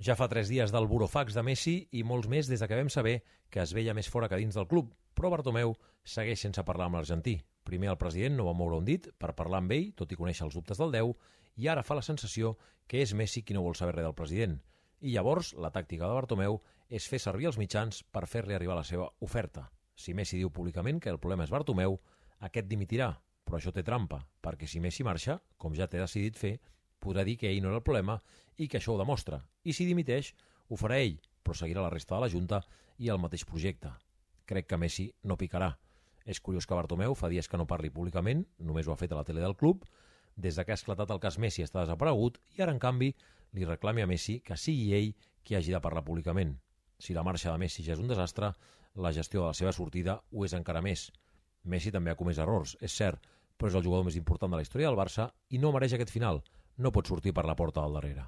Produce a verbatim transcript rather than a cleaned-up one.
Ja fa tres dies del burofax de Messi i molts més des de que vam saber que es veia més fora que dins del club, però Bartomeu segueix sense parlar amb l'argentí. Primer el president no va moure un dit per parlar amb ell, tot i conèixer els dubtes del deu, i ara fa la sensació que és Messi qui no vol saber res del president. I llavors la tàctica de Bartomeu és fer servir els mitjans per fer-li arribar la seva oferta. Si Messi diu públicament que el problema és Bartomeu, aquest dimitirà, però això té trampa, perquè si Messi marxa, com ja té decidit fer, podrà dir que ell no era el problema i que això ho demostra. I si dimiteix, ho farà ell, però seguirà la resta de la Junta i el mateix projecte. Crec que Messi no picarà. És curiós que Bartomeu fa dies que no parli públicament, només ho ha fet a la tele del club, des de que ha esclatat el cas Messi està desaparegut i ara, en canvi, li reclami a Messi que sigui ell qui hagi de parlar públicament. Si la marxa de Messi ja és un desastre, la gestió de la seva sortida ho és encara més. Messi també ha comès errors, és cert, però és el jugador més important de la història del Barça i no mereix aquest final. No pot sortir per la porta del darrere.